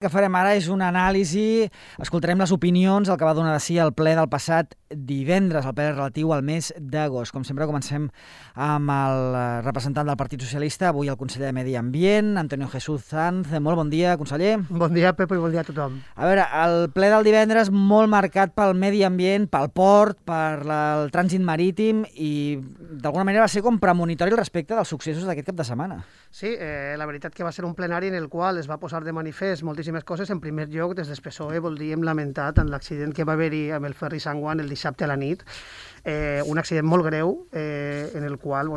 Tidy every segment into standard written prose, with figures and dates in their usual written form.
El que farem ara és una anàlisi, escoltarem les opinions, el que va donar de si el ple del passat divendres, el ple relatiu al mes d'agost. Com sempre comencem amb el representant del Partit Socialista, avui el conseller de Medi Ambient, Antonio Jesús Sanz. Molt bon dia, conseller. Bon dia, Pepo, i bon dia a tothom. A veure, el ple del divendres molt marcat pel medi ambient, pel port, per el trànsit marítim i d'alguna manera va ser com premonitori respecte dels successos d'aquest cap de setmana. Sí, la veritat que va ser un plenari en el qual es va posar de manifest moltíssimes coses. En primer lloc, des del PSOE voldríem lamentar tant l'accident que va haver-hi amb el ferri Sant Joan el dissabte a la nit, un accident molt greu en el qual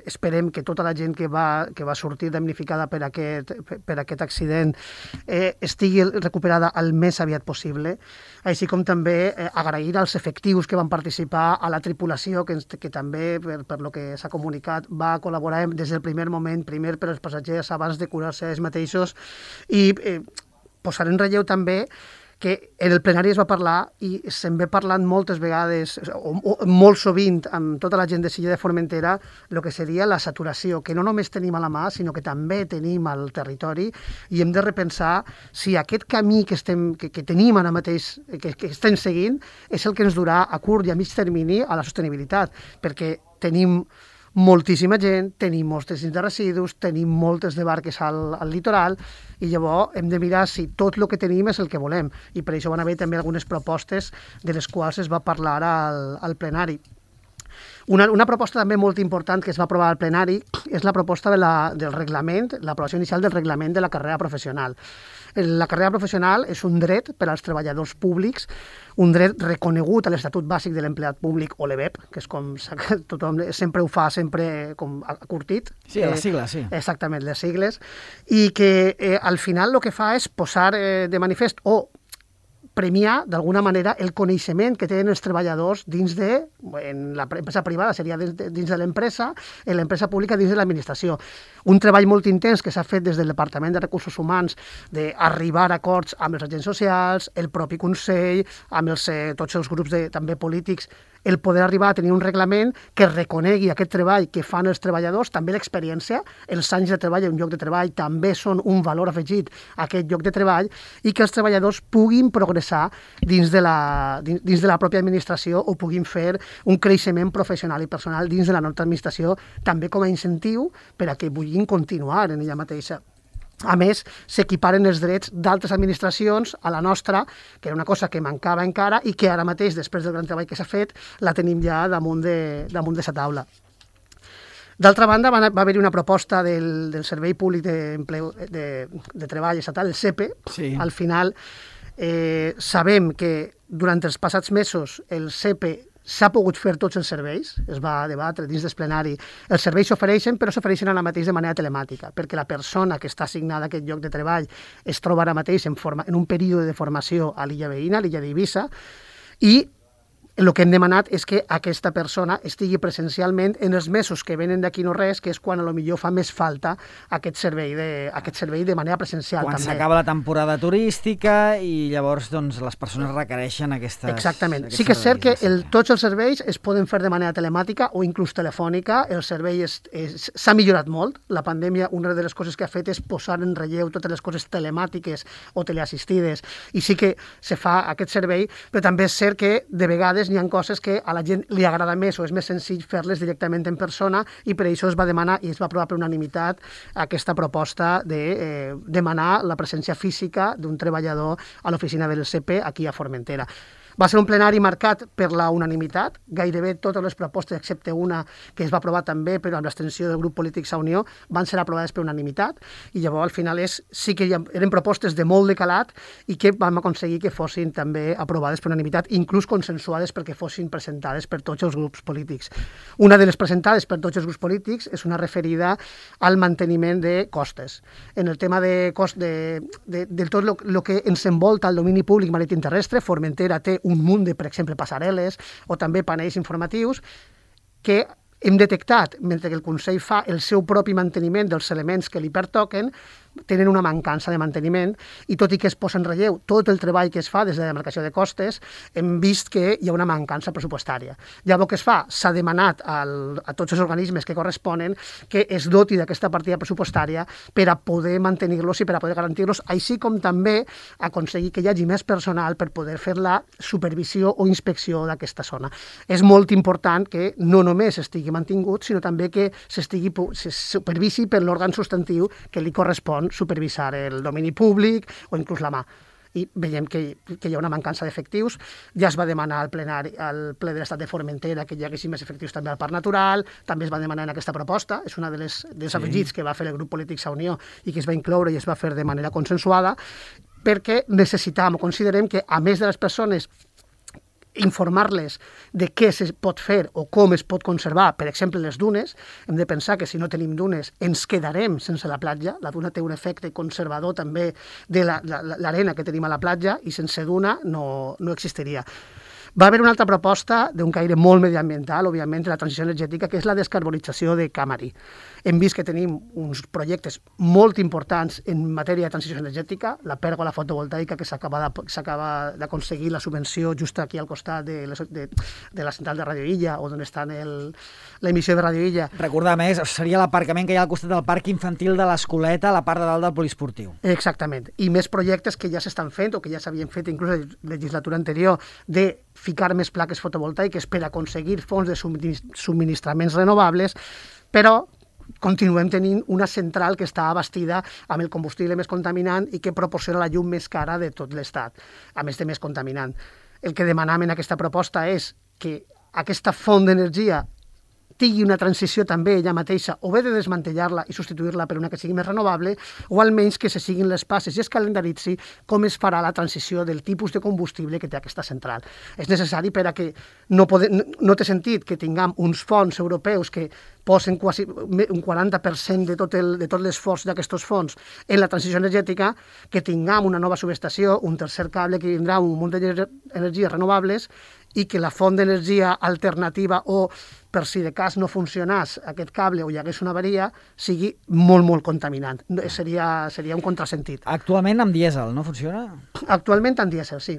esperem que tota la gent que va sortir damnificada per aquest accident estigui recuperada el més aviat possible, així com també agrair als efectius que van participar, a la tripulació que també, per lo que s'ha comunicat, va col·laborar des del primer moment, primer per als passatgers abans de curar-se ells mateixos, i posar en relleu també que en el plenari es va parlar i se'n ve parlant moltes vegades, o molt sovint, amb tota la gent de Silla de Formentera, el que seria la saturació, que no només tenim a la mà, sinó que també tenim al territori, i hem de repensar si aquest camí que tenim ara mateix, que estem seguint, és el que ens durà a curt i a mig termini a la sostenibilitat, perquè tenim moltíssima gent, tenim molts de residus, tenim moltes de barques al litoral, i llavors hem de mirar si tot el que tenim és el que volem, i per això van haver també algunes propostes de les quals es va parlar al plenari. Una proposta també molt important que es va aprovar al plenari és la proposta del reglament, l'aprovació inicial del reglament de la carrera professional. La carrera professional és un dret per als treballadors públics, un dret reconegut a l'Estatut Bàsic de l'Empleat Públic, o l'EBEP, que és com tothom sempre ho fa, sempre com acurtit. Sí, les sigles, sí. Exactament, les sigles. I que al final el que fa és posar de manifest o premiar, d'alguna manera, el coneixement que tenen els treballadors dins de, en l'empresa privada seria dins de l'empresa, en l'empresa pública dins de l'administració. Un treball molt intens que s'ha fet des del Departament de Recursos Humans d'arribar a acords amb els agents socials, el propi Consell, amb tots els grups també polítics, el poder arribar a tenir un reglament que reconegui aquest treball que fan els treballadors, també l'experiència, els anys de treball en un lloc de treball també són un valor afegit a aquest lloc de treball, i que els treballadors puguin progressar dins de la pròpia administració o puguin fer un creixement professional i personal dins de la nostra administració, també com a incentiu per a que vulguin continuar en ella mateixa. A més, s'equiparen els drets d'altres administracions a la nostra, que era una cosa que mancava encara i que ara mateix, després del gran treball que s'ha fet, la tenim ja damunt de sa taula. D'altra banda, va haver-hi una proposta del Servei Públic de Treball Estatal, el SEPE. Sí. Al final, sabem que durant els passats mesos el SEPE s'ha pogut fer tots els serveis, es va debatre dins del plenari. Els serveis s'ofereixen, però s'ofereixen ara mateix de manera telemàtica, perquè la persona que està assignada a aquest lloc de treball es troba ara mateix en un període de formació a l'illa veïna, a l'illa d'Eivissa, i el que hem demanat és que aquesta persona estigui presencialment en els mesos que venen d'aquí no res, que és quan potser fa més falta aquest servei de manera presencial. Quan també s'acaba la temporada turística i llavors les persones requereixen aquestes... Exactament. Sí que és cert que tots els serveis es poden fer de manera telemàtica o inclús telefònica. El servei s'ha millorat molt. La pandèmia, una de les coses que ha fet és posar en relleu totes les coses telemàtiques o teleassistides, i sí que se fa aquest servei, però també és cert que de vegades n'hi ha coses que a la gent li agrada més o és més senzill fer-les directament en persona, i per això es va demanar i es va aprovar per unanimitat aquesta proposta de demanar la presència física d'un treballador a l'oficina del SEPE aquí a Formentera. Va ser un plenari marcat per la unanimitat, gairebé totes les propostes, excepte una que es va aprovar també, però amb l'extensió del grup polític Sa Unió, van ser aprovades per unanimitat, i llavors al final sí que eren propostes de molt de calat i que vam aconseguir que fossin també aprovades per unanimitat, inclús consensuades perquè fossin presentades per tots els grups polítics. Una de les presentades per tots els grups polítics és una referida al manteniment de costes. En el tema de tot el que ens envolta el domini públic marítim terrestre, Formentera té un munt de, per exemple, passarel·les o també panells informatius que hem detectat, mentre que el Consell fa el seu propi manteniment dels elements que li pertoquen, tenen una mancança de manteniment i tot i que es posa en relleu tot el treball que es fa des de la demarcació de costes, hem vist que hi ha una mancança pressupostària. Llavors, què es fa? S'ha demanat a tots els organismes que corresponen que es doti d'aquesta partida pressupostària per a poder mantenir-los i per a poder garantir-los, així com també aconseguir que hi hagi més personal per poder fer la supervisió o inspecció d'aquesta zona. És molt important que no només estigui mantingut, sinó també que se supervisi per l'òrgan substantiu que li correspon supervisar el domini públic o inclús la mà. I veiem que hi ha una mancança d'efectius. Ja es va demanar al plenari, al ple de l'Estat de Formentera que hi haguessin més efectius també al Parc Natural, també es va demanar en aquesta proposta, és una dels afegits que va fer el grup polític Sa Unió i que es va incloure i es va fer de manera consensuada, perquè necessitam o considerem que, a més de les persones informar-les de què se pot fer o com es pot conservar, per exemple, les dunes. Hem de pensar que si no tenim dunes ens quedarem sense la platja. La duna té un efecte conservador també de l'arena que tenim a la platja i sense duna no existiria. Va haver una altra proposta d'un caire molt mediambiental, òbviament, de la transició energètica, que és la descarbonització de Camari. Hem vist que tenim uns projectes molt importants en matèria de transició energètica, la pèrgola fotovoltaica que s'acaba d'aconseguir la subvenció just aquí al costat de la central de Radio Illa, o on està l'emissió de Radio Illa. Recordar més, seria l'aparcament que hi ha al costat del parc infantil de l'Escoleta, a la part de dalt del poliesportiu. Exactament. I més projectes que ja s'estan fent o que ja s'havien fet inclús en la legislatura anterior de ficar més plaques fotovoltaiques per aconseguir fonts de subministraments renovables, però continuem tenint una central que està abastida amb el combustible més contaminant i que proporciona la llum més cara de tot l'Estat, a més de més contaminant. El que demanem en aquesta proposta és que aquesta font d'energia tingui una transició també ella mateixa, o bé de desmantellar-la i substituir-la per una que sigui més renovable, o almenys que se siguin les passes i es calendaritzi com es farà la transició del tipus de combustible que té aquesta central. És necessari per a que no té sentit que tinguem uns fons europeus que posen quasi un 40% de tot l'esforç d'aquests fons en la transició energètica, que tinguem una nova subestació, un tercer cable que vindrà un munt d'energies renovables i que la font d'energia alternativa o, per si de cas no funcionés aquest cable o hi hagués una avaria, sigui molt, molt contaminant. Seria un contrasentit. Actualment amb dièsel, no funciona? Actualment amb dièsel, sí.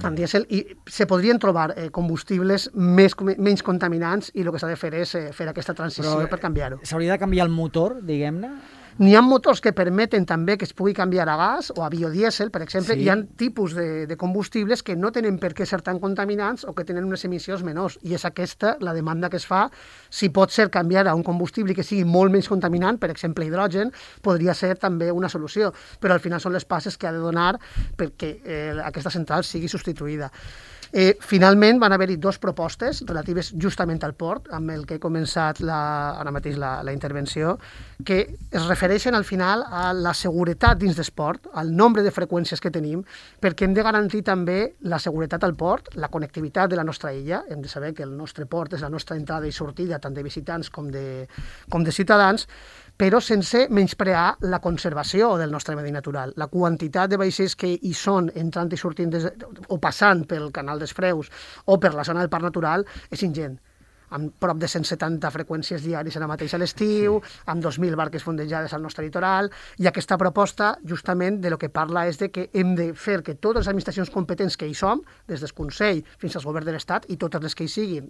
Amb dièsel, i se podrien trobar combustibles menys contaminants i el que s'ha de fer és fer aquesta transició per canviar-ho. S'hauria de canviar el motor, diguem-ne? N'hi ha motors que permeten també que es pugui canviar a gas o a biodièsel, per exemple. Sí. Hi ha tipus de combustibles que no tenen per què ser tan contaminants o que tenen unes emissions menors. I és aquesta la demanda que es fa. Si pot ser canviar a un combustible que sigui molt menys contaminant, per exemple hidrogen, podria ser també una solució. Però al final són les passes que ha de donar perquè aquesta central sigui substituïda. Finalment van haver-hi dues propostes relatives justament al port, amb el que he començat ara mateix la intervenció, que es refereixen al final a la seguretat dins d'esport, al nombre de freqüències que tenim, perquè hem de garantir també la seguretat al port, la connectivitat de la nostra illa. Hem de saber que el nostre port és la nostra entrada i sortida tant de visitants com de ciutadans, però sense menysprear la conservació del nostre medi natural. La quantitat de vaixells que hi són entrant i sortint o passant pel canal dels Freus o per la zona del Parc Natural és ingent, amb prop de 170 freqüències diàries ara mateix a l'estiu, amb 2.000 barques fondejades al nostre litoral, i aquesta proposta justament de lo que parla és de que hem de fer que totes les administracions competents que hi som, des del Consell fins al Govern de l'Estat i totes les que hi siguin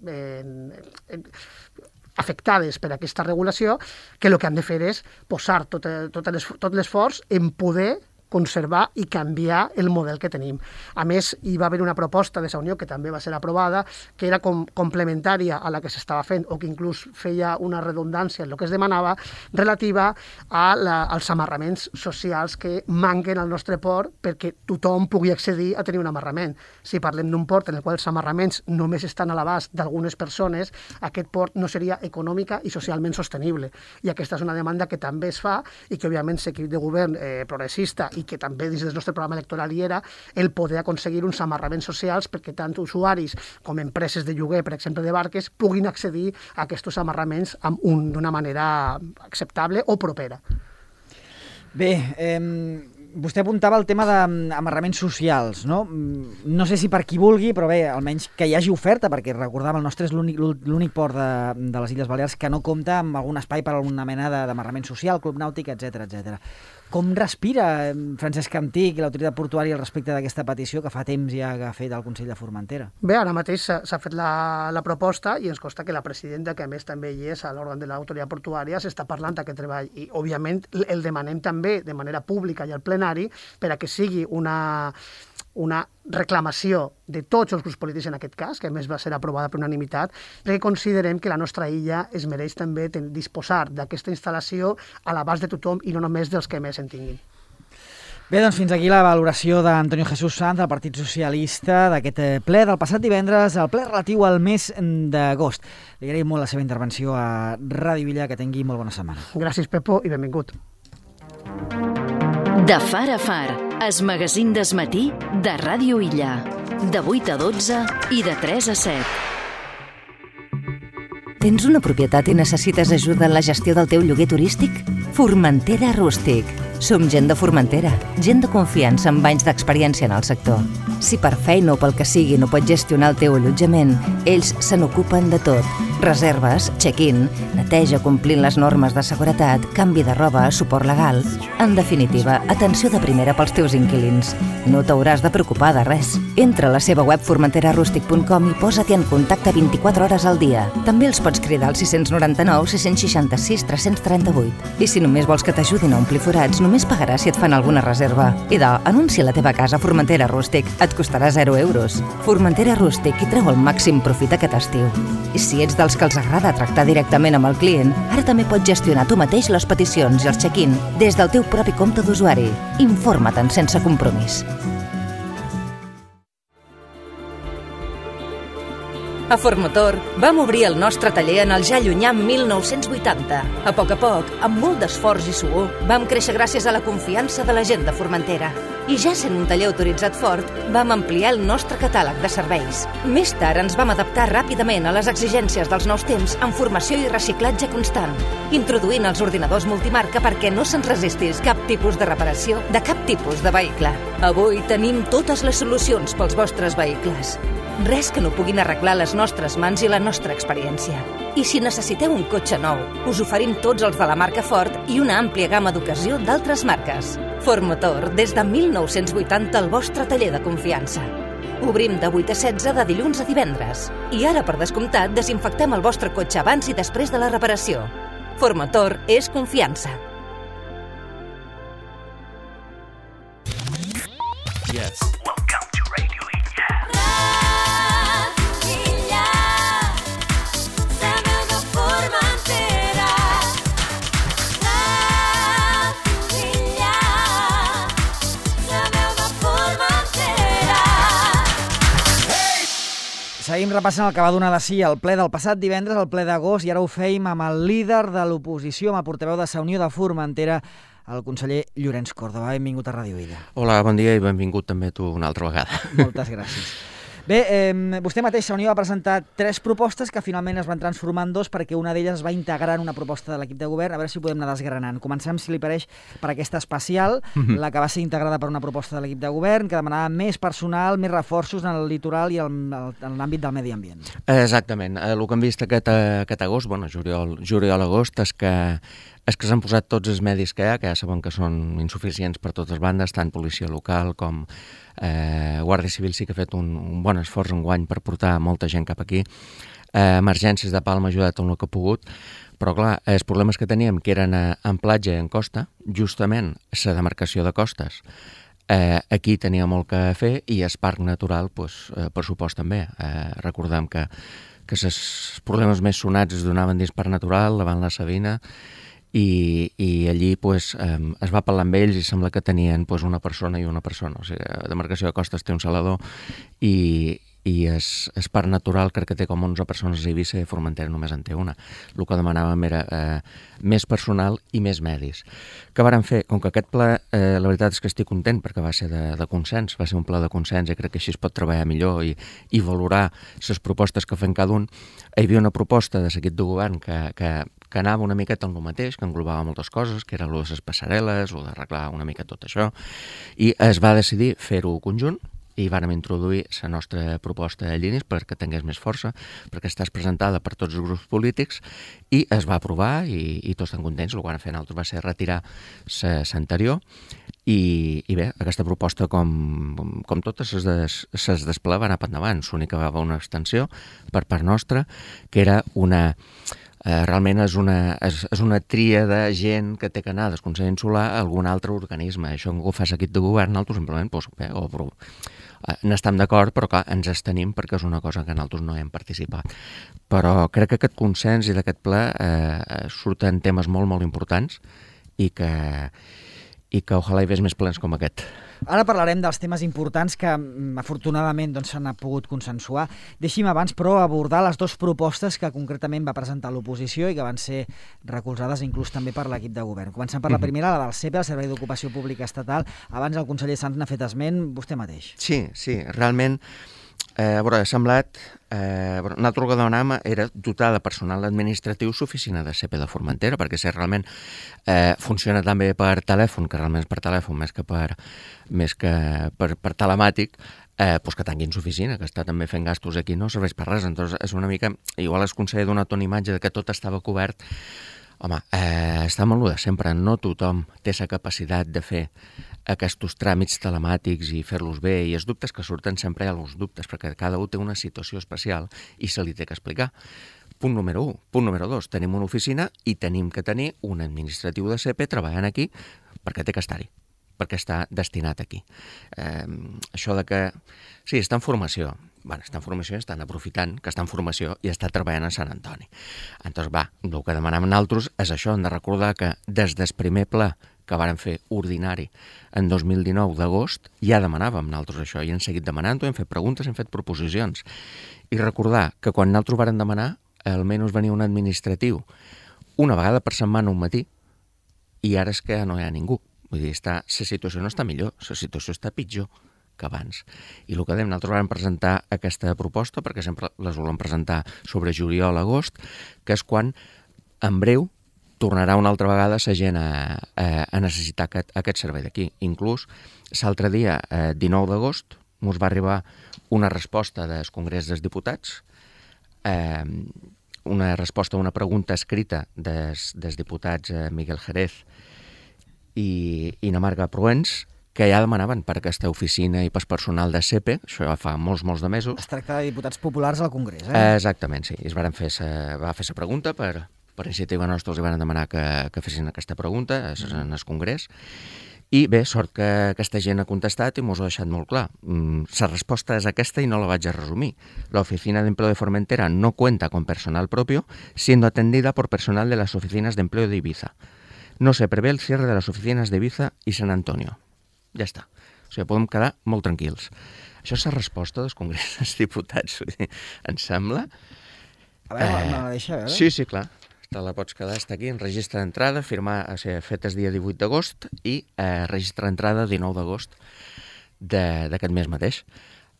afectades per aquesta regulació, que el que han de fer és posar tot l'esforç en poder conservar i canviar el model que tenim. A més, hi va haver una proposta de Sa Unió, que també va ser aprovada, que era complementària a la que s'estava fent, o que inclús feia una redundància en el que es demanava, relativa als amarraments socials que manquen al nostre port perquè tothom pugui accedir a tenir un amarrament. Si parlem d'un port en el qual els amarraments només estan a l'abast d'algunes persones, aquest port no seria econòmica i socialment sostenible. I aquesta és una demanda que també es fa i que, òbviament, l'equip de govern progressista i que també dins del nostre programa electoral hi era, el poder aconseguir uns amarraments socials perquè tant usuaris com empreses de lloguer, per exemple, de barques, puguin accedir a aquests amarraments d'una manera acceptable o propera. Bé, vostè apuntava el tema d'amarraments socials, no? No sé si per qui vulgui, però bé, almenys que hi hagi oferta, perquè recordava, el nostre és l'únic port de les Illes Balears que no compta amb algun espai per a alguna mena d'amarrament social, club nàutic, etc etc. Com respira Francesc Antic i l'autoritat portuària al respecte d'aquesta petició que fa temps ja que ha fet el Consell de Formentera? Bé, ara mateix s'ha fet la proposta i ens consta que la presidenta, que a més també hi és a l'òrgan de l'autoritat portuària, s'està parlant d'aquest treball i, òbviament, el demanem també de manera pública i al plenari per a que sigui una reclamació de tots els grups polítics en aquest cas, que a més va ser aprovada per unanimitat, perquè considerem que la nostra illa es mereix també disposar d'aquesta instal·lació a l'abast de tothom i no només dels que més en tinguin. Bé, doncs fins aquí la valoració d'Antonio Jesús Sanz, del Partit Socialista, d'aquest ple del passat divendres, el ple relatiu al mes d'agost. Li agraïm molt la seva intervenció a Ràdio Illa, que tingui molt bona setmana. Gràcies, Pepo, i benvingut. De far a far, es magazín d'esmatí de Ràdio Illa. De 8 a 12 i de 3 a 7. Tens una propietat i necessites ajuda en la gestió del teu lloguer turístic? Formentera Rústic. Som gent de Formentera, gent de confiança amb anys d'experiència en el sector. Si per feina o pel que sigui no pots gestionar el teu allotjament, ells se n'ocupen de tot. Reserves, check-in, neteja complint les normes de seguretat, canvi de roba, suport legal... En definitiva, atenció de primera pels teus inquilins. No t'hauràs de preocupar de res. Entra a la seva web formenterarústic.com i posa't en contacte 24 hores al dia. També els pots cridar al 699 666 338. I si només vols que t'ajudin a omplir forats, només pagaràs si et fan alguna reserva. Idò, anuncia la teva casa a Formentera Rústic. Et costarà 0 euros. Formentera Rústic i treu el màxim profit aquest estiu. I si ets dels que els agrada tractar directament amb el client, ara també pots gestionar tu mateix les peticions i els check-in des del teu propi compte d'usuari. Informa-te'n sense compromís. A Formotor vam obrir el nostre taller en el ja llunyà 1980. A poc, amb molt d'esforç i suor, vam créixer gràcies a la confiança de la gent de Formentera. I ja sent un taller autoritzat Ford, vam ampliar el nostre catàleg de serveis. Més tard ens vam adaptar ràpidament a les exigències dels nous temps amb formació i reciclatge constant, introduint els ordinadors multimarca perquè no se'ns resistís cap tipus de reparació de cap tipus de vehicle. Avui tenim totes les solucions pels vostres vehicles. Res que no puguin arreglar les nostres mans i la nostra experiència. I si necessiteu un cotxe nou, us oferim tots els de la marca Ford i una àmplia gamma d'ocasió d'altres marques. Ford Motor, des de 1980, el vostre taller de confiança. Obrim de 8 a 16 de dilluns a divendres. I ara, per descomptat, desinfectem el vostre cotxe abans i després de la reparació. Ford Motor és confiança. Yes. Welcome to Radio Illa. Seguim repassant el que va donar de si el ple del passat divendres, el ple d'agost, i ara ho feim amb el líder de l'oposició, amb el portaveu de Sa Unió de Formentera, el conseller Llorenç Córdoba. Benvingut a Ràdio Illa. Hola, bon dia i benvingut també tu una altra vegada. Moltes gràcies. Bé, vostè mateix, Sa Unió, va presentar 3 propostes que finalment es van transformar en 2 perquè una d'elles es va integrar en una proposta de l'equip de govern. A veure si ho podem anar desgranant. Comencem, si li pareix, per aquesta especial, la que va ser integrada per una proposta de l'equip de govern que demanava més personal, més reforços en el litoral i en l'àmbit del medi ambient. Exactament. El que hem vist aquest agost, juliol-agost, és que s'han posat tots els medis que ja sabem que són insuficients per totes bandes, tant policia local com Guàrdia Civil sí que ha fet un bon esforç enguany per portar molta gent cap aquí. Emergències de Palma ha ajudat en el que ha pogut, però clar, els problemes que teníem, que eren en platja i en costa, justament la demarcació de costes, aquí tenia molt que fer i el parc natural, per supost també. Recordem que els problemes més sonats es donaven dins parc natural, davant la Sabina, i allí es va parlar amb ells i sembla que tenien una persona i una persona. O sigui, la demarcació de costes té un salador i el parc natural crec que té com 11 persones a Eivissa i a Formentera només en té una. El que demanàvem era més personal i més medis. Què vàrem fer? Com que aquest ple, la veritat és que estic content perquè va ser de consens, va ser un ple de consens i crec que així es pot treballar millor i valorar les propostes que fem cada un. Hi havia una proposta de l'equip de govern que anava una miqueta en el mateix, que englobava moltes coses, que era el de les passarel·les, o d'arreglar una mica tot això, i es va decidir fer-ho conjunt, i vàrem introduir la nostra proposta a línies perquè tingués més força, perquè estàs presentada per tots els grups polítics i es va aprovar i tots estan contents. El que van fer nosaltres va ser retirar l'anterior i bé, aquesta proposta com totes ses d'esplà va anar per endavant. L'únic que va haver una extensió per part nostra que era realment és una tria de gent que té que anar del Consell Insular a algun altre organisme. Això que ho fas equip de govern, nosaltres simplement n'estem d'acord, però clar, ens abstenim perquè és una cosa que nosaltres no hem participat. Però crec que aquest consens i d'aquest ple surten temes molt, molt importants i que ojalà hi hagués més plens com aquest. Ara parlarem dels temes importants que afortunadament s'han pogut consensuar. Deixi'm abans, però, abordar les dues propostes que concretament va presentar l'oposició i que van ser recolzades inclús també per l'equip de govern. Comencem per la primera, la del CEPE, el Servei d'Ocupació Pública Estatal. Abans el conseller Sanz n'ha fet esment, vostè mateix. Sí, realment ha semblat... Nosaltres el que demanàvem era dotar de personal administratiu l'oficina de CEPE de Formentera, perquè si realment funciona també per telèfon, que realment és per telèfon més que per telemàtic, que tanquin l'oficina, que està també fent gastos aquí, no serveix per res. Entonces és una mica... Igual el conseller ha donat una imatge que tot estava cobert. Home, està molt de sempre. No tothom té la capacitat de fer aquests tràmits telemàtics i fer-los bé, i els dubtes que surten sempre hi ha els dubtes, perquè cada un té una situació especial i se li té que explicar. Punt número 1. Punt número 2. Tenim una oficina i tenim que tenir un administratiu de CEPE treballant aquí perquè té que estar-hi, perquè està destinat aquí. Això de que... Sí, està en formació. Està en formació, estan aprofitant que està en formació i està treballant a Sant Antoni. Entonces, el que demanem nosaltres és això, hem de recordar que des del primer ple que vàrem fer ordinari en 2019 d'agost, ja demanàvem nosaltres això, i hem seguit demanant-ho, hem fet preguntes, hem fet proposicions. I recordar que quan nosaltres vàrem demanar, almenys venia un administratiu una vegada per setmana un matí, i ara és que no hi ha ningú. Vull dir, la situació no està millor, la situació està pitjor que abans. I el que dèiem, nosaltres vam presentar aquesta proposta, perquè sempre les volem presentar sobre juliol-agost, que és quan, en breu, tornarà una altra vegada la gent a necessitar aquest servei d'aquí. Inclús, l'altre dia, 19 d'agost, ens va arribar una resposta del Congrés dels Diputats, una resposta a una pregunta escrita dels diputats Miguel Jerez i Namarga Proens, que ja demanaven per aquesta oficina i pel personal de CEPE, això ja fa molts de mesos. Es tracta de diputats populars al Congrés, Exactament, sí. Va fer la pregunta per iniciativa nostra, els van demanar que fessin aquesta pregunta en el Congrés. I bé, sort que aquesta gent ha contestat i mos ho ha deixat molt clar. La resposta és aquesta i no la vaig a resumir. La Oficina de Empleo de Formentera no cuenta con personal propio, siendo atendida por personal de las oficinas de empleo de Ibiza. No se prevé el cierre de las oficinas de Ibiza y San Antonio. Ja està. O sigui, podem quedar molt tranquils. Això és la resposta dels Congrés dels Diputats. Em sembla... A veure, me la deixa veure? Sí, clar. Te la pots quedar, està aquí, en registre d'entrada, fet el dia 18 d'agost i registre d'entrada 19 d'agost d'aquest mes mateix.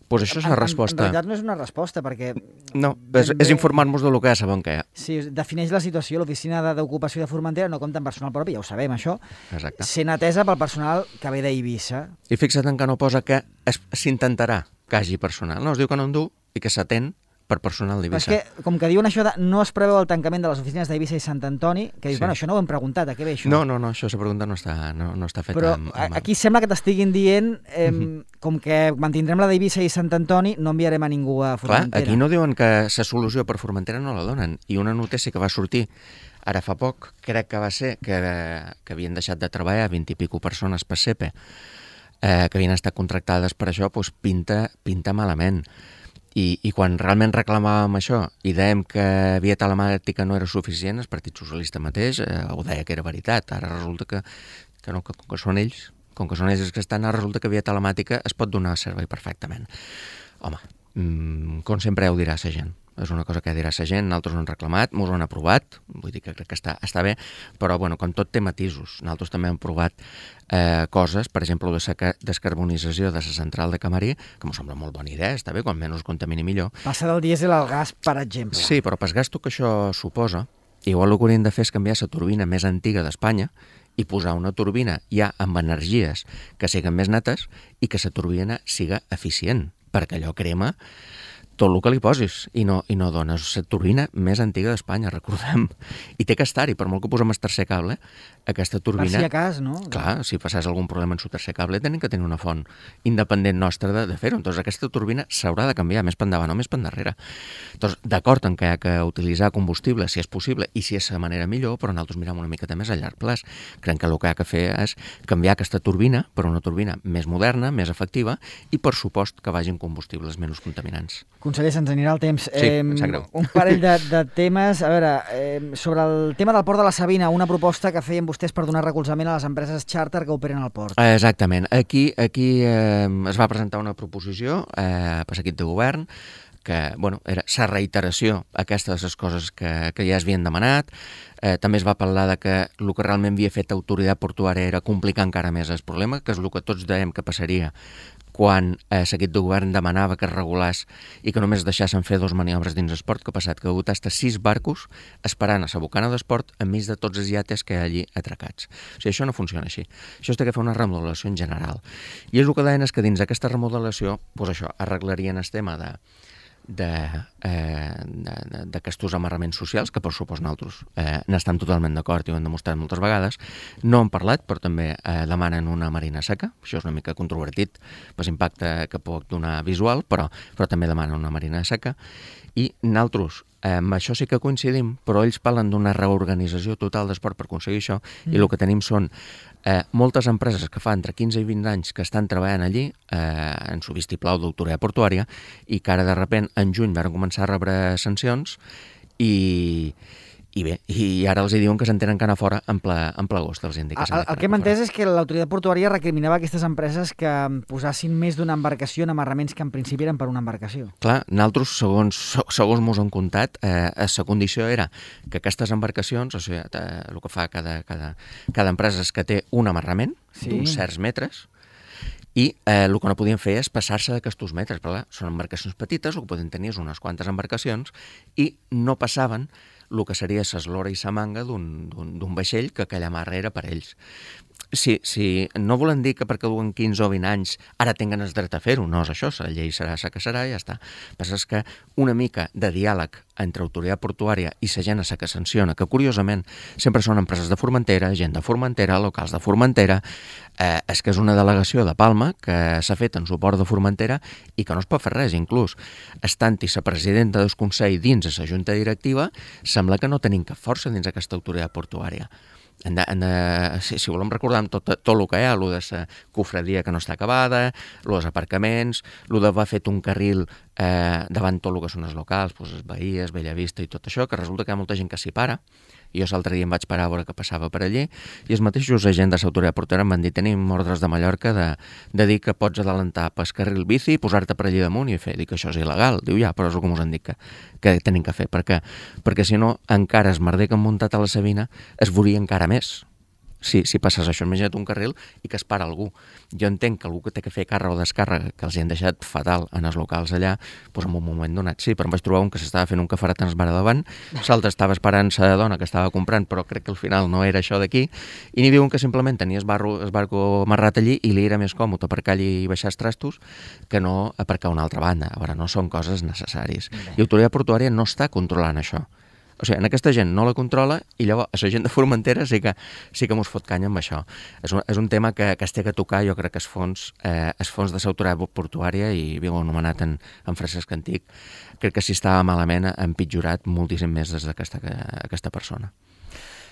Doncs això és la resposta. En realitat no és una resposta, perquè... No, és informar-nos del que ja sabem que hi ha. Sí, defineix la situació. L'Oficina d'Ocupació de Formentera no compta amb personal propi, ja ho sabem, això. Exacte. Sent atesa pel personal que ve d'Eivissa. I fixa't en que no posa que s'intentarà que hagi personal. No, es diu que no en du i que s'atén per personal d'Eivissa. Però és que, com que diuen això de no es preveu el tancament de les oficines d'Eivissa i Sant Antoni, que dius, Sí. bueno, això no ho hem preguntat, a què ve això? No, això, la pregunta no està feta. Però aquí sembla que t'estiguin dient, com que mantindrem la d'Eivissa i Sant Antoni, no enviarem a ningú a Clar, Formentera. aquí no diuen que la solució per Formentera no la donen. I una notícia que va sortir ara fa poc, crec que va ser que havien deixat de treballar 20 i pico persones per CEPE, que havien estat contractades per això, doncs pinta malament. I quan realment reclamàvem això i dèiem que via telemàtica no era suficient, el Partit Socialista mateix ho deia que era veritat. Ara resulta que no, que com que són ells els que estan, ara resulta que via telemàtica es pot donar servei perfectament. Home, com sempre ho dirà la gent. És una cosa que dirà la gent, nosaltres ho hem reclamat, ens ho han aprovat, vull dir que crec que està bé, però bueno, com tot té matisos. Nosaltres també hem provat coses, per exemple, la descarbonització de la central de Camarí, que m'ho sembla molt bona idea, està bé, quan menys contamini millor. Passa del dièsel al gas, per exemple. Sí, però pel gasto que això suposa, igual el que hauríem de fer és canviar la turbina més antiga d'Espanya i posar una turbina ja amb energies que siguin més netes i que la turbina siga eficient, perquè allò crema tot el que li posis i no dones. La turbina més antiga d'Espanya, recordem. I té que estar-hi, per molt que posem el tercer cable, aquesta turbina... Per si a cas, no? Clar, si passés algun problema en el tercer cable, tenim que tenir una font independent nostra de fer-ho. Entonces, aquesta turbina s'haurà de canviar més per endavant o més per endarrere. Entonces, d'acord en que hi ha que utilitzar combustible, si és possible, i si és la manera millor, però nosaltres mirem una miqueta més a llarg plaç. Creiem que el que hi ha que fer és canviar aquesta turbina per una turbina més moderna, més efectiva, i per supost que vagin combustibles menys contaminants. Conseller, se'ns anirà el temps. Sí, em sap greu. Un parell de temes. A veure, sobre el tema del port de la Sabina, una proposta que feien vostès per donar recolzament a les empreses xàrter que operen al port. Exactament. Aquí es va presentar una proposició per l'equip de govern que era la reiteració aquestes les coses que ja es havien demanat. També es va parlar de que el que realment havia fet autoritat portuària era complicar encara més el problema, que és el que tots dèiem que passaria quan l'equip de govern demanava que es regulés i que només deixassen fer 2 maniobres dins el port, que ha passat que ha hagut hasta 6 barcos esperant a la bocana del port enmig de tots els iates que hi ha allí atracats. O sigui, això no funciona així. Això es té que fer una remodelació en general. I és el que deien és que dins d'aquesta remodelació, això, arreglarien el tema d'aquests amarraments socials, que per supost nosaltres n'estan totalment d'acord i ho hem demostrat moltes vegades. No han parlat, però també demanen una marina seca. Això és una mica controvertit per l'impacte que pot donar visual, però també demanen una marina seca. I nosaltres, amb això sí que coincidim, però ells parlen d'una reorganització total d'esport per aconseguir això, i el que tenim són moltes empreses que fa entre 15 i 20 anys que estan treballant allí en su vistiplau d'autoritat portuària i que ara de sobte en juny van començar a rebre sancions i ara els diuen que se'n tenen que anar fora en ple agost. El que hem entès és que l'autoritat portuària recriminava aquestes empreses que posassin més d'una embarcació en amarraments que en principi eren per una embarcació. Clar, nosaltres, segons mos han contat, la condició era que aquestes embarcacions, o sigui, el que fa cada empresa és que té un amarrament d'uns certs metres, i el que no podien fer és passar-se d'aquests metres. Però clar, són embarcacions petites, el que poden tenir és unes quantes embarcacions, i no passaven el que seria l'eslora i la manga d'un vaixell que aquella marra era per ells. Sí, no volen dir que perquè duen 15 o 20 anys ara tinguen el dret a fer-ho, no és això, la llei serà la que serà i ja està. El que passa és que una mica de diàleg entre autoritat portuària i la gent a la que sanciona, que curiosament sempre són empreses de Formentera, gent de Formentera, locals de Formentera, és que és una delegació de Palma que s'ha fet en suport de Formentera i que no es pot fer res, inclús estant-hi la presidenta del Consell dins la junta directiva, sembla que no tenim cap força dins aquesta autoritat portuària. Si volem recordar tot el que hi ha, el de la cofradia que no està acabada, el dels aparcaments, el d'haver fet un carril davant tot el que són els locals, els Bahies, Bellavista i tot això, que resulta que hi ha molta gent que s'hi para. I jo l'altre dia em vaig parar a veure què passava per allí i els mateixos agents de l'autoritat portuària em van dir tenim ordres de Mallorca de dir que pots adelantar pel carril bici, posar-te per allí damunt i fer. Dic que això és il·legal. Diu ja, però és el que us han dit que tenim que fer. Perquè si no, encara es merder que han muntat a la Sabina es veuria encara més. Si passes això, imagina't un carril i que es para algú. Jo entenc que algú que té que fer càrrega o descàrrega, que els hi han deixat fatal en els locals allà, doncs en un moment donat sí, però em vaig trobar un que s'estava fent un caferet en el bar davant, l'altre estava esperant la dona que estava comprant, però crec que al final no era això d'aquí, i n'hi havia un que simplement tenia el barco amarrat allí i li era més còmode aparcar allí i baixar els trastos que no aparcar a una altra banda. A veure, no són coses necessàries. I l'autoritat portuària no està controlant això. O sigui, aquesta gent no la controla i llavors a la gent de Formentera sí que mos fot canya amb això. És un tema que es té que tocar, jo crec que els fons de l'autoritat portuària, i ho heu anomenat en Francesc Antic, crec que si estava malament ha empitjorat moltíssim més des d'aquesta persona.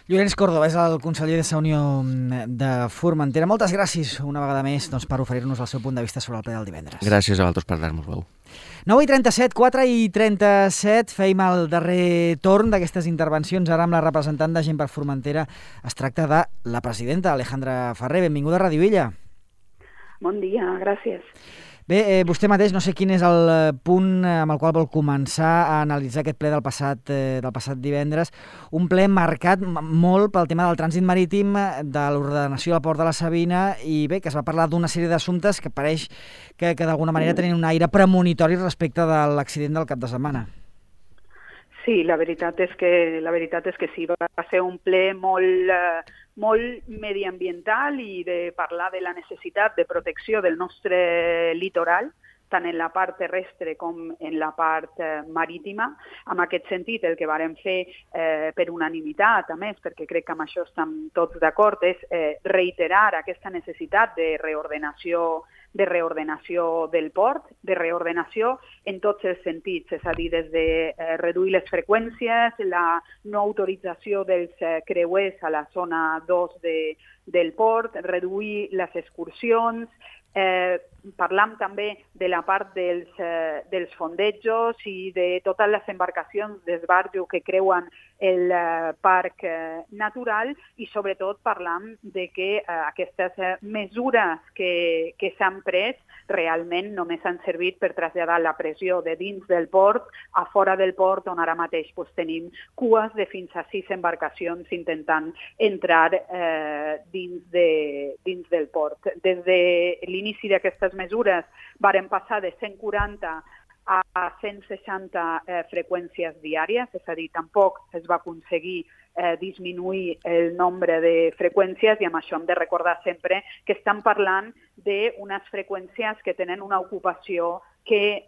Llorenç Córdoba és el conseller de la Unió de Formentera. Moltes gràcies una vegada més per oferir-nos el seu punt de vista sobre el ple del divendres. Gràcies a vosaltres per dar-nos veu. 9:37, 4:37, feim el darrer torn d'aquestes intervencions ara amb la representant de Gent per Formentera. Es tracta de la presidenta Alejandra Ferrer. Benvinguda a Ràdio Illa. Bon dia, gràcies. Bé, vostè mateix, no sé quin és el punt amb el qual vol començar a analitzar aquest ple del passat divendres. Un ple marcat molt pel tema del trànsit marítim, de l'ordenació del port de la Sabina i bé, que es va parlar d'una sèrie d'assumptes que pareix que d'alguna manera tenen un aire premonitori respecte de l'accident del cap de setmana. Sí, la veritat és que sí, va ser un ple molt molt mediambiental i de parlar de la necessitat de protecció del nostre litoral, tant en la part terrestre com en la part marítima. En aquest sentit, el que vàrem fer per unanimitat, a més, perquè crec que amb això estem tots d'acord, és reiterar aquesta necessitat de reordenació del port, de reordenació en tots els sentits, és a dir, des de reduir les freqüències, la no autorització dels creuers a la zona 2 del port, reduir les excursions. Parlam també de la part dels fondejos i de totes les embarcacions d'esbarjo que creuen el parc natural i sobretot parlam de que aquestes mesures que s'han pres realment només han servit per traslladar la pressió de dins del port a fora del port, on ara mateix tenim cues de fins a 6 embarcacions intentant entrar dins del port. Des de l'inici d'aquestes mesures varen passar de 140 a 160 freqüències diàries, és a dir, tampoc es va aconseguir disminuir el nombre de freqüències i amb això hem de recordar sempre que estan parlant d'unes freqüències que tenen una ocupació que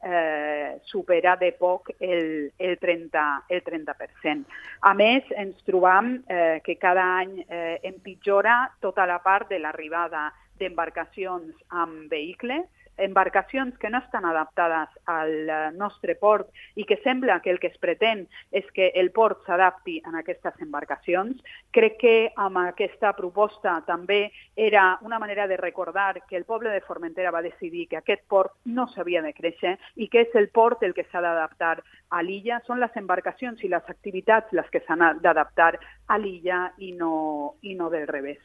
supera de poc el 30%. A més, ens trobam que cada any empitjora tota la part de l'arribada d'embarcacions amb vehicles, embarcacions que no estan adaptades al nostre port i que sembla que el que es pretén és que el port s'adapti a aquestes embarcacions. Crec que amb aquesta proposta també era una manera de recordar que el poble de Formentera va decidir que aquest port no s'havia de créixer i que és el port el que s'ha d'adaptar a l'illa. Són les embarcacions i les activitats les que s'han d'adaptar a l'illa i no del revés.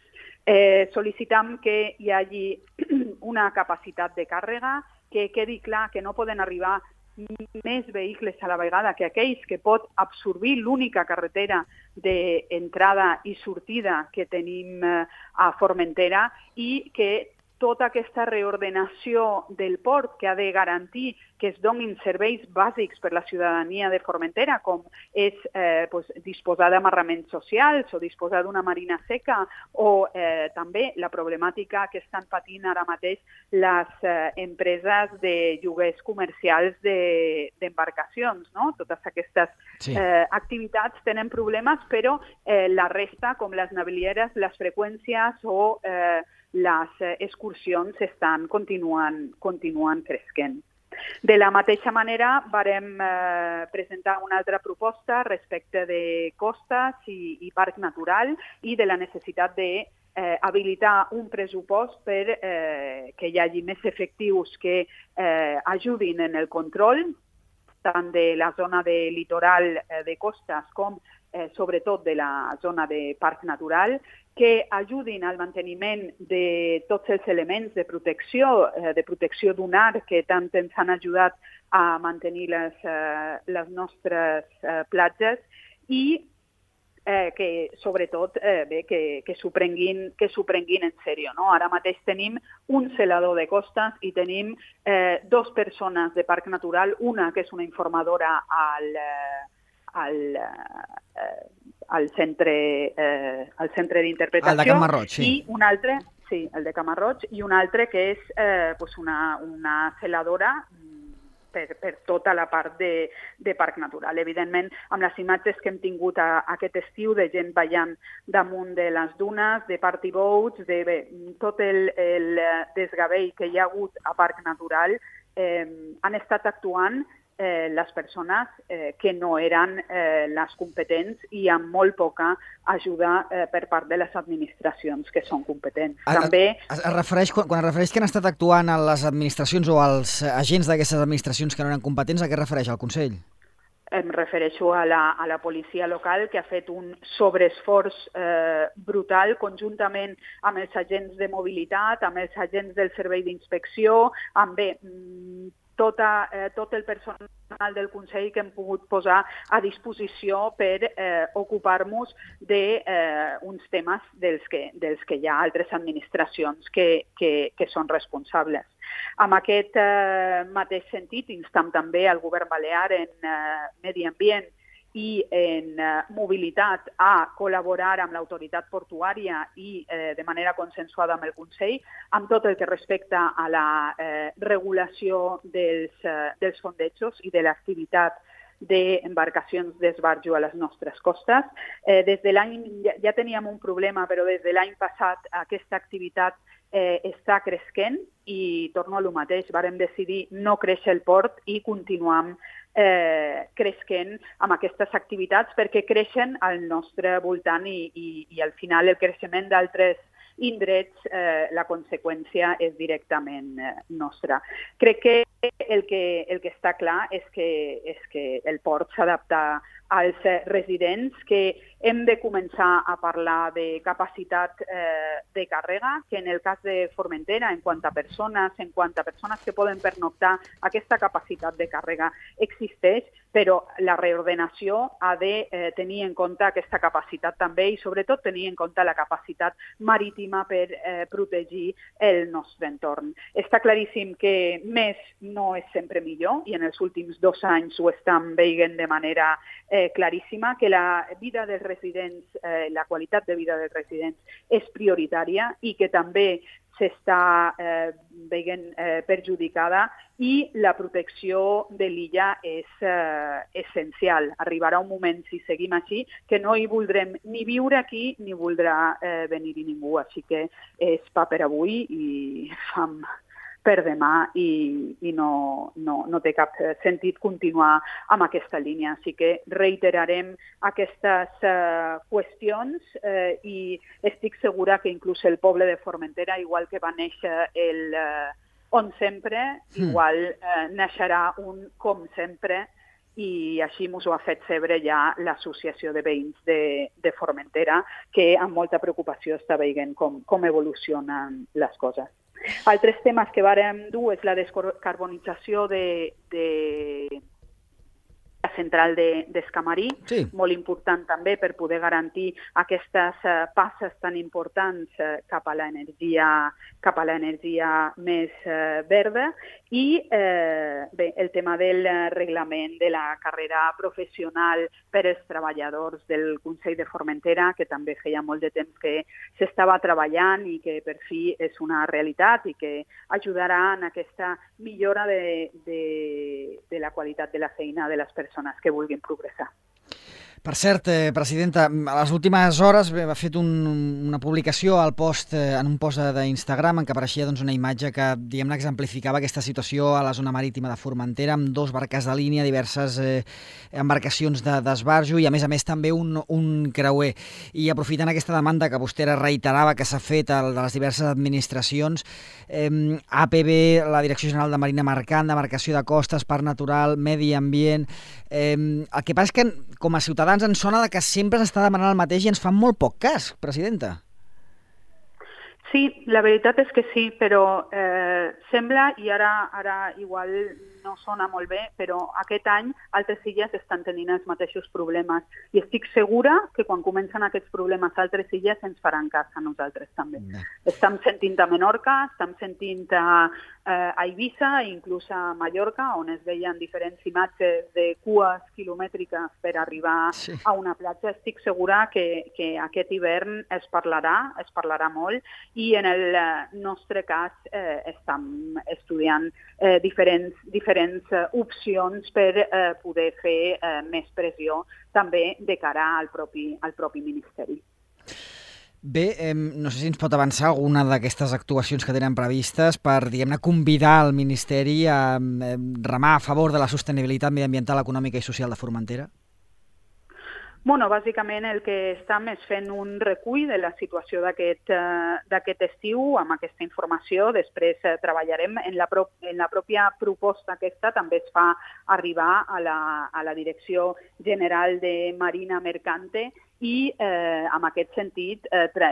Sol·licitam que hi hagi una capacitat de càrrega, que quedi clar que no poden arribar més vehicles a la vegada que aquells que pot absorbir l'única carretera d'entrada i sortida que tenim a Formentera i que tota aquesta reordenació del port que ha de garantir que es donin serveis bàsics per la ciutadania de Formentera, com és disposar d'amarraments socials o disposar d'una marina seca o també la problemàtica que estan patint ara mateix les empreses de lloguers comercials d'embarcacions. No? Totes aquestes activitats tenen problemes, però la resta, com les navilieres, les freqüències o les excursions continuen creixent. De la mateixa manera, vàrem presentar una altra proposta respecte de costes i parc natural i de la necessitat d'habilitar un pressupost per que hi hagi més efectius que ajudin en el control tant de la zona de litoral de costes com sobretot de la zona de parc natural, que ajudin al manteniment de tots els elements de protecció dunar que tant ens han ajudat a mantenir les nostres platges i que sobretot que s'ho prenguin en sèrio. No? Ara mateix tenim un celador de costes i tenim 2 persones de parc natural, una que és una informadora al centre d'interpretació. El de Camarroig, sí. I un altre, sí, el de Camarroig, i un altre que és una celadora per tota la part de parc natural. Evidentment, amb les imatges que hem tingut aquest estiu de gent ballant damunt de les dunes, de party boats, de tot el desgavell que hi ha hagut a parc natural, han estat actuant les persones que no eren les competents i amb molt poca ajuda per part de les administracions que són competents. També Quan es refereix que han estat actuant a les administracions o als agents d'aquestes administracions que no eren competents, a què es refereix el Consell? Em refereixo a la policia local, que ha fet un sobreesforç brutal conjuntament amb els agents de mobilitat, amb els agents del servei d'inspecció, amb tot el personal del Consell que hem pogut posar a disposició per ocupar-nos d'uns temes dels que hi ha altres administracions que són responsables. En aquest mateix sentit, instam també al Govern Balear en Medi Ambient i en mobilitat a col·laborar amb l'autoritat portuària i de manera consensuada amb el Consell, amb tot el que respecta a la regulació dels fondejos i de l'activitat d'embarcacions d'esbarjo a les nostres costes. Des de l'any, ja teníem un problema, però des de l'any passat aquesta activitat està cresquent i torno a lo mateix. Vàrem decidir no créixer el port i continuam cresquent amb aquestes activitats perquè creixen al nostre voltant i al final el creixement d'altres indrets, la conseqüència és directament nostra. Crec que el que està clar és que el port s'adapta als residents, que hem de començar a parlar de capacitat de càrrega, que en el cas de Formentera, en quant a persones que poden pernoctar, aquesta capacitat de càrrega existeix, però la reordenació ha de tenir en compte aquesta capacitat també i sobretot tenir en compte la capacitat marítima per protegir el nostre entorn. Està claríssim que més no és sempre millor i en els últims 2 anys ho estem veient de manera claríssima, que la vida dels residents, la qualitat de vida dels residents és prioritària i que també s'està veient perjudicada i la protecció de l'illa és essencial. Arribarà un moment, si seguim així, que no hi voldrem ni viure aquí ni voldrà venir-hi ningú. Així que és pa per avui i fam per demà i no té cap sentit continuar amb aquesta línia. Així que reiterarem aquestes qüestions i estic segura que inclús el poble de Formentera, igual que va néixer el On Sempre, igual naixerà un Com Sempre i així ens ho ha fet saber ja l'Associació de Veïns de Formentera, que amb molta preocupació està veient com evolucionen les coses. Altres temes que vàrem dur és la descarbonització de la central d'Escamarí, sí. Molt important també per poder garantir aquestes passes tan importants cap a l'energia més verda i bé, el tema del reglament de la carrera professional per als treballadors del Consell de Formentera, que també feia molt de temps que s'estava treballant i que per fi és una realitat i que ajudarà en aquesta millora de la qualitat de la feina de les persones que vulguin progressar. Per cert, presidenta, a les últimes hores ha fet una publicació en un post d'Instagram en què apareixia una imatge que diguem-ne exemplificava aquesta situació a la zona marítima de Formentera amb 2 barques de línia, diverses embarcacions d'esbarjo i a més també un creuer. I aprofitant aquesta demanda que vostè reiterava que s'ha fet de les diverses administracions, APB, la Direcció General de Marina Mercant, d'Embarcació de Costes, Parc Natural, Medi Ambient... El que passa és que com a ciutadans ens sona que sempre s'està demanant el mateix i ens fan molt poc cas, presidenta. Sí, la veritat és que sí, però sembla, i ara igual no sona molt bé, però aquest any altres illes estan tenint els mateixos problemes i estic segura que quan comencen aquests problemes a altres illes ens faran cas a nosaltres també. Estem sentint a Menorca, estem sentint a Eivissa i inclús a Mallorca, on es veien diferents imatges de cues quilomètriques per arribar a una platja. Estic segura que aquest hivern es parlarà molt i en el nostre cas estem estudiant diferents opcions per poder fer més pressió també de cara al propi Ministeri. Bé, no sé si ens pot avançar alguna d'aquestes actuacions que tenen previstes per, diguem-ne, convidar el Ministeri a remar a favor de la sostenibilitat mediambiental, econòmica i social de Formentera? Bueno, bàsicament el que estem és fent un recull de la situació d'aquest estiu amb aquesta informació. Després treballarem en la pròpia proposta aquesta, també es fa arribar a la Direcció General de Marina Mercante i en aquest sentit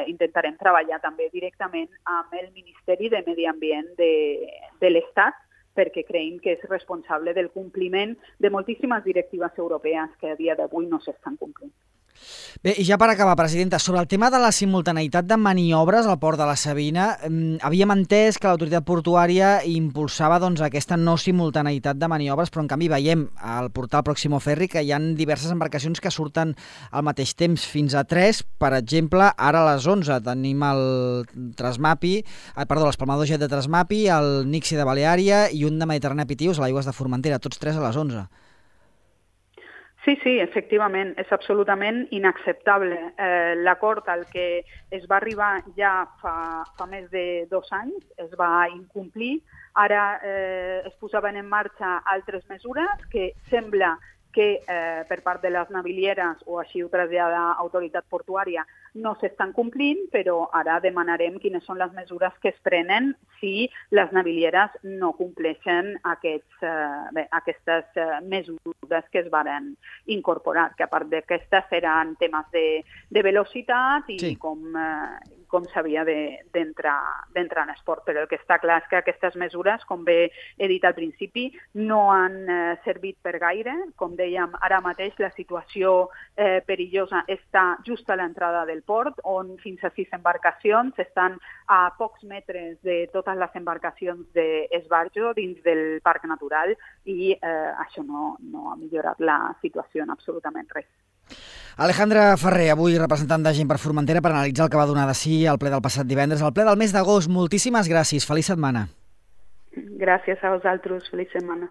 intentarem treballar també directament amb el Ministeri de Medi Ambient de l'Estat, perquè creiem que és responsable del compliment de moltíssimes directives europees que a dia d'avui no s'estan complint. Bé, i ja per acabar, presidenta, sobre el tema de la simultaneïtat de maniobres al port de la Sabina, havíem entès que l'autoritat portuària impulsava doncs, aquesta no simultaneïtat de maniobres, però en canvi veiem al portal Próximo Ferry que hi ha diverses embarcacions que surten al mateix temps, fins a 3. Per exemple, ara a les 11 tenim l'espalmador jet de Trasmapi, el Nixi de Baleària i un de Mediterrània Pitius a l'aigües de Formentera, tots 3 a les 11. Sí, efectivament, és absolutament inacceptable. L'acord al que es va arribar ja fa més de 2 anys es va incomplir. Ara es posaven en marxa altres mesures que sembla que per part de les navilieres, o així ho trasllada l'autoritat portuària, no s'estan complint, però ara demanarem quines són les mesures que es prenen si les navilieres no compleixen aquestes mesures que es varen incorporar, que a part d'aquestes seran temes de velocitat i com s'havia d'entrar en esport. Però el que està clar és que aquestes mesures, com bé he dit al principi, no han servit per gaire. Com dèiem, ara mateix la situació perillosa està just a l'entrada del port, on fins a 6 embarcacions estan a pocs metres de totes les embarcacions d'esbarjo dins del parc natural i això no ha millorat la situació en absolutament res. Alejandra Ferrer, avui representant de Gent per Formentera, per analitzar el que va donar de si al ple del passat divendres, al ple del mes d'agost. Moltíssimes gràcies. Feliç setmana. Gràcies a vosaltres. Feliç setmana.